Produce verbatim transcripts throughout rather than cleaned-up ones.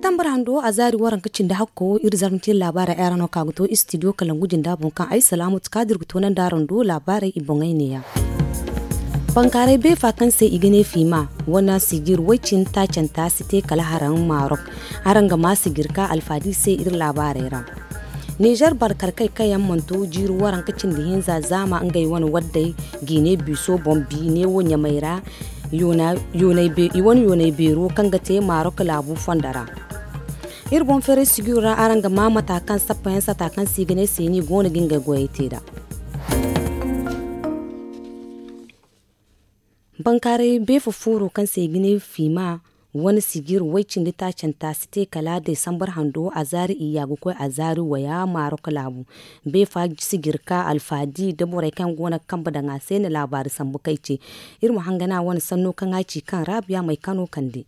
Tambar hando a zaari waranka cindi hakko iri zarma te laabaarey ay ra no ka ga to istidiyo kalangu jinda boŋ kaŋ ay salaamatu kaadir ga toonandi araŋ do laabaarey i boŋey neeya. Bankaaray beefa kaŋ se i ga ne fiima wane sijir way-cindi taacanta si te kala haraŋ maarok. Araŋ ga maa sijir ka alfaadi se iri laabaarey ra. Nizer barkarkey kaŋ yaŋ mana to jiiri waranka cindi hinza zaama ngey wane waddey gine biiso boŋ bi neewo ɲamey ra i wane yoonay beero kaŋ ga te maarok laabu fondo ra. Iri boŋ feeray sijiro ra araŋ ga maa mata kaŋ sappayaŋ sata kaŋ se i ga ne seeni go no ga ngey goyey te nd'a. Bankaaray beefa fooro kaŋ se i ga ne fiima wane sijir way-cindi taacanta si te kala deesambar hando a zaari iyya ga koy a zaari waya maarok laabu. Beefa sijir ka alfaadi nda borey kaŋ go no ga kambe daŋ a se na laabaari sambu kay ce. Iri ma hangan a wane sanno kaŋ a ci kaŋ raabiya may kano kande.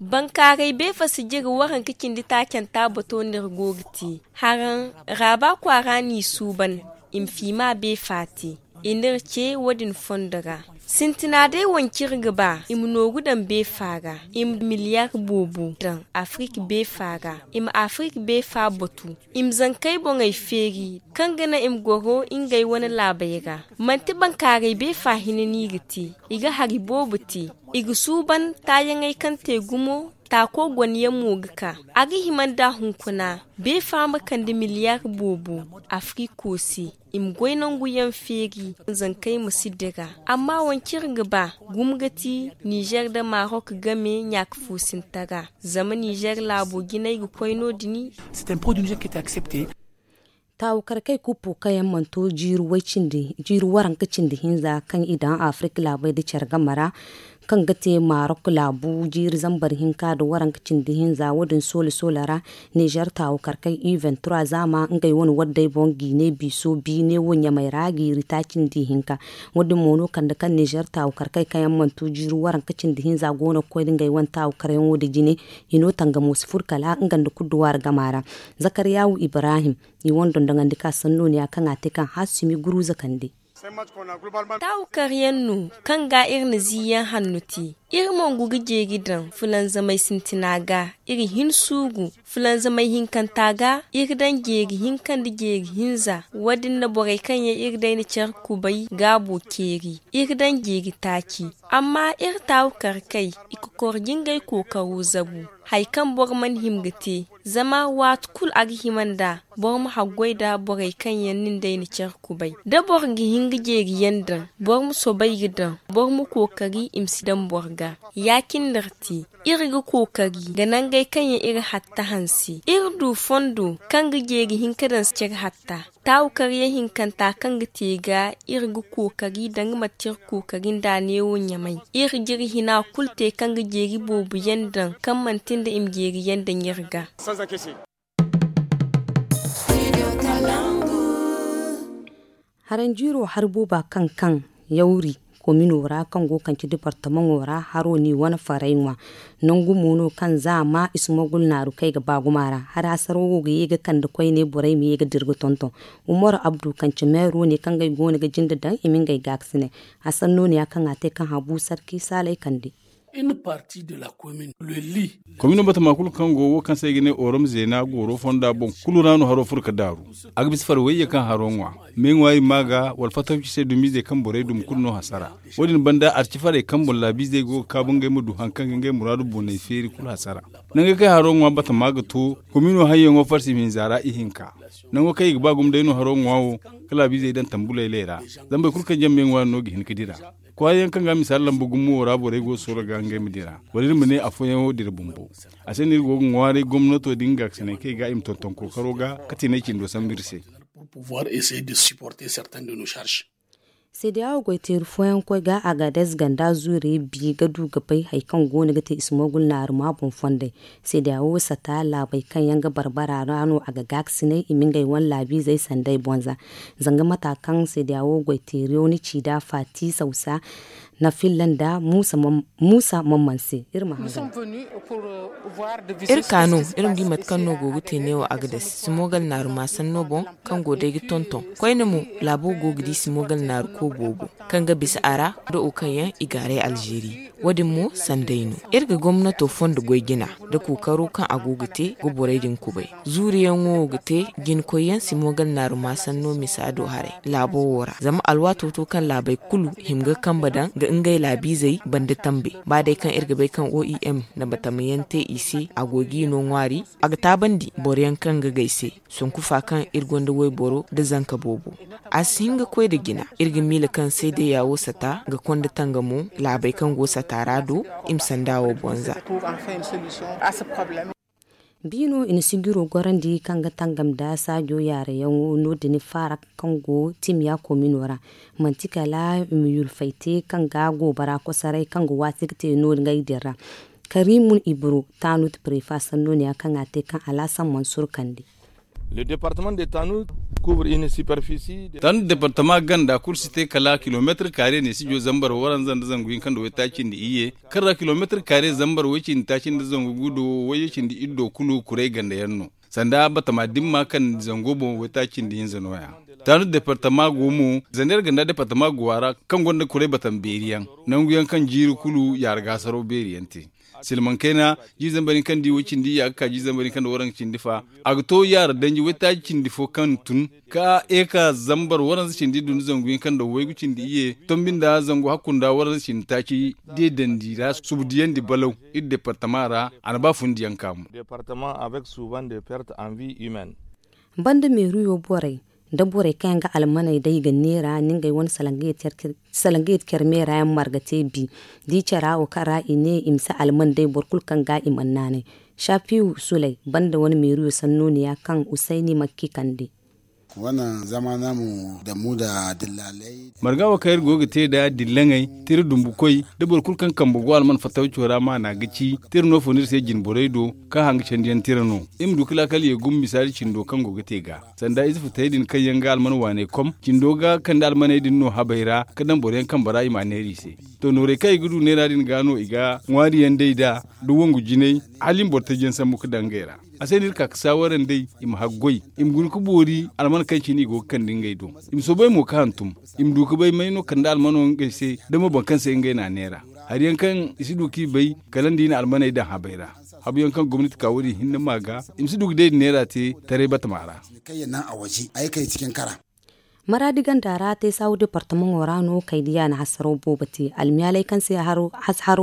Bankaaray beefa sijir waranka cindi taacanta bato no iri go ga te. Haraŋ raaba kwaara n'i suuban i ma fiima beefa te. I n'iri ce wo-din fondo ra. Sintina day wanci iri ga ba i ma nooru daŋ beefa ra. I ma miliyar boobo daŋ afirik beefa ra. I ma afirik beefa batu. I ma zankey boŋey feeri kaŋ ga naŋ i ma goro ngey wane laabey ra. Manti bankaaray beefa hinne no i ga te. I ga hari boobo te. I ga suuban taayaŋey kaŋ te gumo taako gone yaŋ mo ga ka. A ga hima nd'a hunkuna beefa ma kande miliyar boobo afiriko se. I ma goy nangu yaŋ feeri zankey ma si dira. Amma wanci iri ga ba gumo ga ti nizer nda marok game ɲaaka fo sinta ra. Zama nizer laabo jinay ga koy no- din. Taawu karkey kuppu kaŋ yaŋ mana to jiiri waranka cindi hinza kaŋ i daŋ afirik laabey nda care game ra, kaŋ ga te marok laabu jiiri zambar hinka nda waranka cindi hinza wo- din soola soola ra. Nizer taawu karkey u vingt trois zaama ngey wane waddey boŋ gine biiso biine wo ɲamey ra jiiri taaci nda ihinka. Wo- din mo no kande kaŋ nizer taawu karkey kaŋ yaŋ mana to jiiri waranka cindi hinza go no ga koy nda ngey wane taawu karyaŋo nda jine. I no tangamo si furo kala nga nda kudduwaari gama ra. Zakariyawu ibrahim i wane dondoŋandi ka sanno ne ya kaŋ a te kaŋ haasumi guruza kande. Taawu karyaŋ no kaŋ ga iri na ziiyaŋ hanno te. Iri mongu ga jeeri daŋ fulanzamay sintina ga. Iri hin suuru fulanzamay hinkanta ga. Iri daŋ jeeri hinka nda jeeri hinza. Wo- din na borey kaŋ yaŋ iri day na care kubay gaabo ceeri. Iri daŋ jeeri taaci. Amma iri taawu karkey i kokor jingay kookaro zabu. Hari kaŋ boro mana hima ga te. Zama waati kulu a ga hima nd'a boro ma haggoy nda borey kaŋ yaŋ nin day na care kubay. Da boro ga hin ga jeeriyaŋ daŋ boro ma soobay ga daŋ. Boro ma kookari i ma si daŋ boro ga. Ya- cine no iri te. Iri ga kookari ga nangey kaŋ yaŋ iri hatta hanse. Iri du fondo kaŋ ga jeeri hinka daŋ care hatta. Taawu karyaŋ hinkanta kaŋ ga te ga iri ga kookari danga mate iri kookari nd'a neewo ɲamay. Iri jiri hina kulu te kaŋ ga jeeri boobo yaŋ daŋ kaŋ manti nda i ma jeeri yaŋ daŋ iri ga. Haranjiiro hari booba kaŋ kaŋ yawri komino ra kaŋ go kaŋ ci departamaŋo ra haro n'i wane faray ŋwa. Nangu mo no kaŋ za a ma ismogul naaru kaŋ ay ga ba gumo a ra hari hasaro wo ga ye ga kande koyne borey ma ye ga dira ga tonton. Umaru abdu kaŋ ci meero ne kaŋ ga ay go no ga jinde daŋ i ma ngey gaakasinay. A sanno ne ya kaŋ a te kaŋ habu sarki saalay kande. Komino batama kulu kaŋ go wo kaŋ se ay ga ne orom zeena gooro fonda boŋ kulu ra no haro furo ga daaru. A ga bisa fari wayye kaŋ haro ŋwa. Me ŋwaari ma ga wala fatawci se dumizey kaŋ borey dum kulu no hasara. Wo- din banda arci farey kaŋ boŋ laabiizey go ga kaabu ngey ma du hari kaŋ ga ngey muraadu boonay feeri kulu hasara. Nangey kaŋ haro ŋwa batama ga to komino hayyaŋo farsi hinza ra ihinka. Nango kaŋ i ga ba gumo day no haro ŋwa wo ga laabiizey daŋ tambulayley ra. Zama boro kulu kaŋ jaŋ me ŋwaari no ga hin ga dira. Kwaara yaŋ kaŋ ga misaali lamba gumo wo ra borey go ga sooro ga ngey ma dira wala iri ma ne afooyaŋo dira bumbo. A se no iri go ga ŋwaaray gomnato din ga ga sanay kaŋ i ga i ma tonton kookaro ga ka tinay cindo sambu iri se. Seedeya wo goy teeri fooyaŋ koy ga agadez ganda zuurey bi ga du ga bay hari kaŋ go no ga te ismogul naaruma boŋ fondey. Seedeya wo sata laabey kaŋ yaŋ ga barbara ra no a ga gaakasinay i ma ngey wane laabiizey sanday bonza. Zanga mata kaŋ seedeya wo goy teeriyo ni ci da faati sawsa. na filla nda muusa mamman se. Iri ma hangan. Iri ka no iri ma di mate kaŋ no go ga te neewo agades simogal naaru maasanno boŋ, kaŋ go day ga tonton koyne mo. Laabo go ga di simogal naaru koobo boŋ, kaŋ ga bisa a ra da wo kaŋ yaŋ i gaaray alzeeri. Wo- din mo sanday no. Iri ga gomnato fondo goy jina nda kookaro kaŋ a go ga te ga borey din kubay. Zuuriyaŋo wo ga te jinkoyyaŋ simogal naaru maasanno misa do haray laabo wo ra, zama alwaato to kaŋ laabey kulu hima ga kambe daŋ ga ngey laabiizey banda tambe. Ba day kaŋ iri ga bay kaŋ oim na batamayaŋ te i se, a go g'i no ŋwaari. A ga taabandi boroyaŋ kaŋ ga gay se, sonku fa kaŋ iri gonda wayboro nda zanka boobo. A si hin ga koy nda jina. Iri ga miila kaŋ seedayya wo sata ga konda tangamo laabey kaŋ go sata ra do, i ma sanda wo bonza. Biino i na sijiro gorandi kaŋ ga tangam nda saajo yaareyaŋo no- din faara kaŋ go timiya komino ra. Manti kala i ma yulfay te kaŋ ga goobara kosoray kaŋ ga waasi ga te no- din ra. Karimun ibro taanut prefa sanno ne ya kaŋ a te kaŋ alaasan mansur kande. Taanut departama ganda kulu si te kala kilomeetir kaare ne sijo zambar waranza nda zangu hinka nda waytaaci nda iyye, kaŋ ra kilomeetir kaare zambar way cindi taaci nda zangu gu do way cindi iddo kulu kuray ganda yaŋ no. Sanda batama dimma kaŋ zango boŋ waytaaci nda hinza no- ya. Taanut departama go mo zander ganda departama go a ra, kaŋ gonda kuray batama beeri yaŋ, nangu yaŋ kaŋ jiiri kulu yaara ga hasaro beeri yaŋ te. Silmaŋ kayna jiiri zambar hinka nda i way cindi iyya ga ka jiiri zambar hinka nda waranka cindi fa. A ga to yaara danji waytaaci cindi fo kaŋ tun ka eka zambar waranza cindi iddu nda zangu hinka nda waygu cindi iyye tombi nda zangu hakku nda waranza cindi taaci deedandi ra subu diyandi balaw. Iri departama ra a na ba fundiyaŋ ka mo. Banda meeriyo borey nda borey kaŋ yaŋ ga almaney day ga neera ni ngey wane salangayet care meera yaŋ marga te bi. Da i cara wo kaŋ ra i ne i ma si alman day boro kulu kaŋ ga i mana naanay. Safiyu suley banda wane meeriyo sanno ne ya kaŋ usayni makki kande. Marga wo kaŋ iri go ga te nd'a dillaŋey tira dumbukoy da boro kulu kaŋ kambe go alman fattawco ra maana ga ci tira no fo no iri se jinborey do. Kaŋ hanga candiyaŋ tira no iri ma du ga laakal ye gumo misaali cindo kaŋ go ga te ga sanda ize futayey din kaŋ yaŋ ga alman waaney kom cindo ga kande almaney din no habey ra ga daŋ boroyaŋ kambe ra i ma a neera i se. To noorey kaŋ i ga du neera din ga no i ga ŋwaariyaŋ day nd'a da wangu jinay hala i ma boro tajiyaŋ sambu ga daŋ ngey ra. A se no iri ka ga saawara nd'ey i ma haggoy i ma guna ga boori alman kaŋ cine i go ga kande ngey do. I ma soobay mo ga hantum i ma du ga bay may no kande almano ngey se da mo boro kaŋ se ngey n'a neera. Hari yaŋ kaŋ i si du k'i bay kala nda i na almaney daŋ habey ra. Habu yaŋ kaŋ gomnati ka wo- din hinne ma ga i ma si du ga day da neera te taray batama ra. Maraadi ganda ra teesaawo departamaŋo ra no kaydiya na hasaraw boobo te almiyaaley kaŋ se haro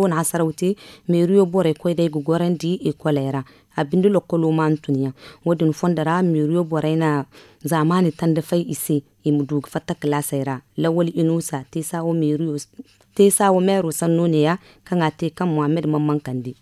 na hasaraw te. Meeriyo borey koy day ga gorandi ekoley ra a binde lokkolo ma hantum yaŋ. Wo- din fondo ra meeriyo borey na zaamaani tanda fay i se i ma du ga fatta kalaasey ra. Lawal inusa teesaawo meero sanno ne- ya kaŋ a te kaŋ muhammad mamman kande.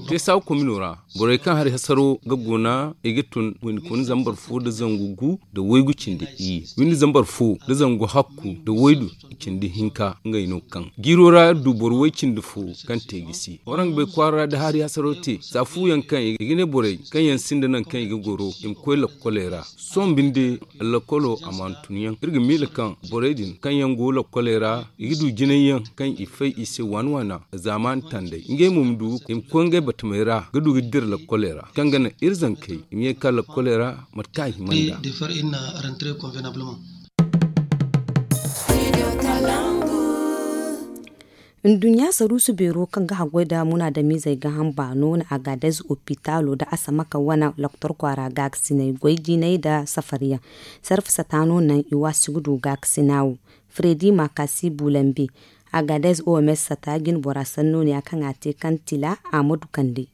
Teesawa komino ra borey kaŋ hari hasaro ga guna i ga tun windi kuna zambar fo nda zangu gu nda waygu cindi iyye windi zambar fo nda zangu hakku nda waydu cindi hinka ngey no kaŋ jiiro ra iri du boro way cindi fo kaŋ te gisi waraŋ ga bay kwaara ra da hari hasaro te za fu yaŋ kaŋ i ga ne borey kaŋ yaŋ sinda naŋ kaŋ i ga goro i ma koy lakkoley ra. Sohõ binde lakkolo a mana tun yaŋ iri ga miila kaŋ borey din kaŋ yaŋ go lakkoley ra i ga du jinay yaŋ kaŋ i fay i se waana waana. Zaamaani tandey ngey mo ma du i ma koy ngey batamey ra ga du ga dira lakkoley ra kaŋ ga naŋ iri zankey i ma ye ga ka lakkoley ra mate kaŋ a hima nd'a. Nduɲɲa saruusu beero kaŋ ga haggoy nda munaadamiizey gaaham baano na agadez opitaalo nda asamaka wane loktor kwaara gaakasiney goy jinay nda safariyaŋ. Sarfa sata no naŋ i waasi ga du gaakasina wo. Fredi makasi bulambe agadez oms sata jine bora sanno ne ya kaŋ a te kaŋ tila a ma du kande.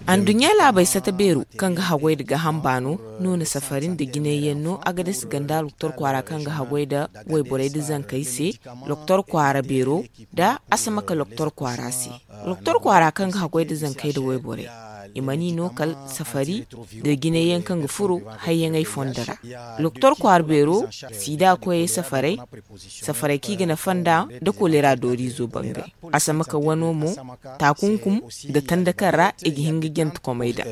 Anduɲɲa laabey sata beero kaŋ ga haggoy nda gaaham baano no na safari nda jinayyaŋ no agadez ganda loktor kwaara kaŋ ga haggoy nda wayborey nda zankey se. Loktor kwaara beero nda asamaka loktor kwaara se. Loktor kwaara kaŋ ga haggoy nda zankey nda wayborey i mana i no kala safari nda jinayyaŋ kaŋ ga furo hayyaŋey fondo ra. Loktor kwaara beero siida koyey safaray safaray kaŋ i ga nafa nd'a nda kolera dooriizo bangay. Asamaka wano mo taakunkum nda tanda kaŋ ra i ga hin ga jante komey daŋ.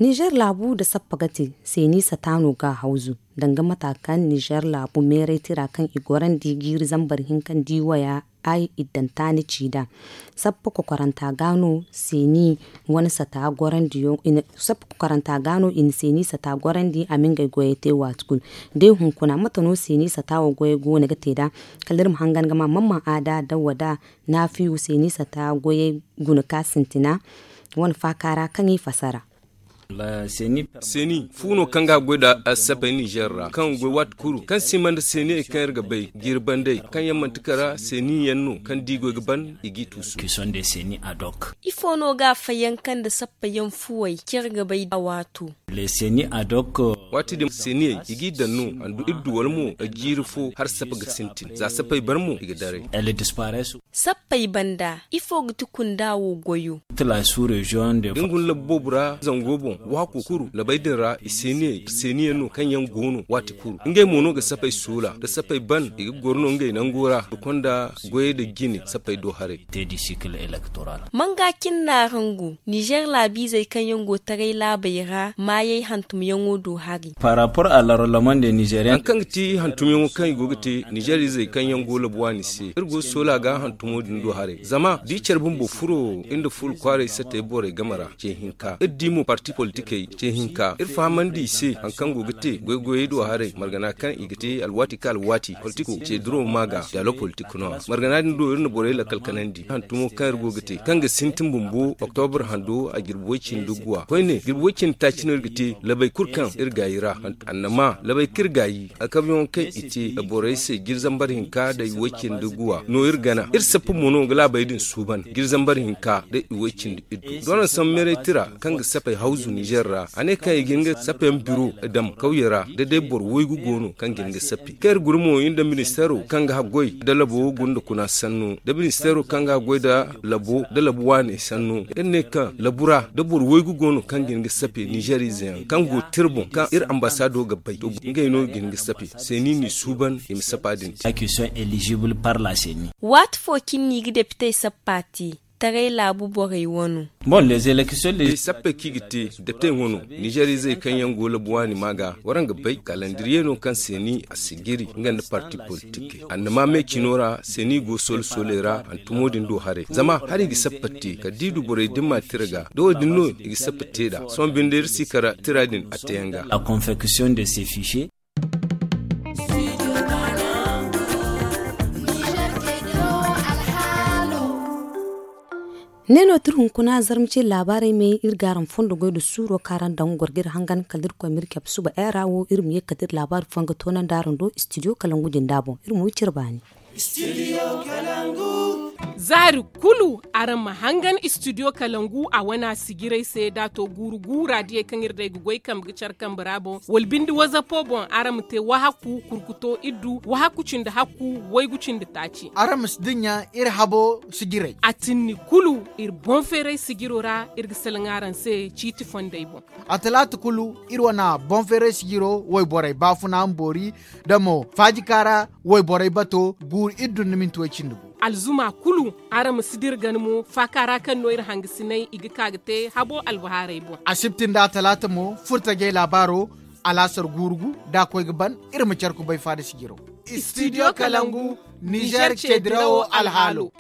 Nizer laabu nda sappa ga te seeni sata no ga hawzu danga mata kaŋ nizer laabu meeray tira kaŋ i gorandi jiiri zambar hinka nda i waya ay iddanta ni ci nd'a. Sappa kokoranta ga no seeni wane sata gorandi yaŋ sappa kokoranta ga no i na seeni sata gorandi a ma ngey goyey te waati kulu. Day hunkuna mate no seeni sata wo goyey go no ga te nd'a? Kala iri ma hangan ga ma mamman aada nda wada naafiyu seeni sata goyey guna ka sintina wane faaka ra kaŋ i fasara. Seeni fu no kaŋ ga goy nda sapey nizer ra kaŋ goy waati kulu kaŋ si man nda seeniyey kaŋ iri ga bay jiiri bandey kaŋ yaŋ manti kara seeni yaŋ no kaŋ da i goy ga ban i g'i tuusu. Ifo no ga a fayyanka nda sappa yaŋ fuwey kaŋ iri ga bay a waato? Waati din seeniyey i g'i daŋ no handu iri du wala mo jiiri fo hala sappa ga sintin za sappey ban mo i ga daray. Sappey banda ifo ga ti kunda wo goyo? Da ni guna labbu boobo ra zango boŋ waako kuru labey din ra i seeniyaŋ no kaŋ yaŋ go no waati kuru ngey mo no ga sapey soola da sapey ban i ga goro no ngey nango ra ga konda goyey da jine sapey do haray. Manga cine no araŋ go nizer laabiizey kaŋ yaŋ go taray laabey ra maayey hantumyaŋo do hari? Hari kaŋ ga ti hantumyaŋo kaŋ i go ga te nizer izey kaŋ yaŋ go labu waani se iri go soola ga hantumo din do haray zama da i care bumbo furo iri nda fuula kwaaray satey borey game ra ce hinka iri di mo parti politikey ce hinka iri fahamandi i se hari kaŋ go ga te goy-goyey do haray margana kaŋ i ga te alwaati ka alwaati politiko ce duro ma ga dialogue politik no margana din do iri na borey lakkal kanandi hantumo kaŋ iri go ga te kaŋ ga sintin bumbo oktobur hando a jirbi way cindi guwa koyne jirbi way cindi taaci no iri ga te labey kulu kaŋ iri gaayi ra annama labey kaŋ iri gaayi alkabyaŋo kaŋ i te borey se jiri zambar hinka nda i way cindi guwa no iri gana iri sappa mo no ga laabey din suuban jiri zambar hinka nda i way cindi iddu doona sambu meeray tira kaŋ ga sapey hawzu nizer ra a ne kaŋ i ga hin ga sapey yaŋ biro daŋ kawye ra da day boro waygu go no kaŋ ga hin ga sappe kaŋ iri guna mo iri nda ministeero kaŋ ga haggoy nda labo gunda kuna sannu nda ministeero kaŋ ga haggoy nda labo nda labu waaney sannu iri ne kaŋ labu ra da boro waygu go no kaŋ ga hin ga sappe nizer ize yaŋ kaŋ go tira boŋ kaŋ iri ambasaado ga bay to ngey no ga hin ga sappe seeni n'i suuban i ma sappa din te. Waati fo cine no i ga depitey sappa te taray laabu borey wano? Sappey kaŋ i ga te depitey wano nizer izey kaŋ yaŋ go labu waani ma ga waraŋ ga bay kalandiriye no kaŋ seeni a si jiri nga nda parti politikey annama me cino ra seeni go soole-sooley ra hantumo din do haray zama hala i ga sappa te kala da i du borey dimma tira ga da wo- din no i ga sappa te nd'a sohõ binde iri si kara tira din a teyaŋ ga. Ne no tir hunkuna zarma ce laabaarey me iri ga araŋ fondo goy nda suuro kaŋ araŋ daŋ goro ga iri hangan kala da iri koy ma iri cabe suba era wo iri ma ye kala da iri laabaari fooyaŋ ga toonandi araŋ do studio kalangu jinda boŋ iri ma wi cire baani. Zaari kulu araŋ ma hangan studio kalangu a wana sijiray se da a to guuru guura diyey kaŋ iri day ga goy kambe ga care kambe ra boŋ wala binde wazapo boŋ araŋ ma te wahakku kurkuto iddu wahakku cindi hakku waygu cindi taaci. Araŋ ma si dinya iri habo sijiray a tinni kulu iri boŋ feeray sijiro ra iri ga salaŋ araŋ se ciiti fondey boŋ. A talaata kulu iri wane boŋ feeray sijiro wayborey baafuna ma boori da mo faajika ra wayborey bato guuru iddu nda minti way cindi gu. Alzuma kulu araŋ ma si dira gana mo faaka ra kaŋ no iri hangasiney i ga ka ga te habo albahaarey boŋ. Asibti nda atalaata mo furtajey laabaaro alaasar guuru gu da a koy ga ban iri ma care kubay faada sijiro. Studio kalangu nizer ce dirawo alhaalo.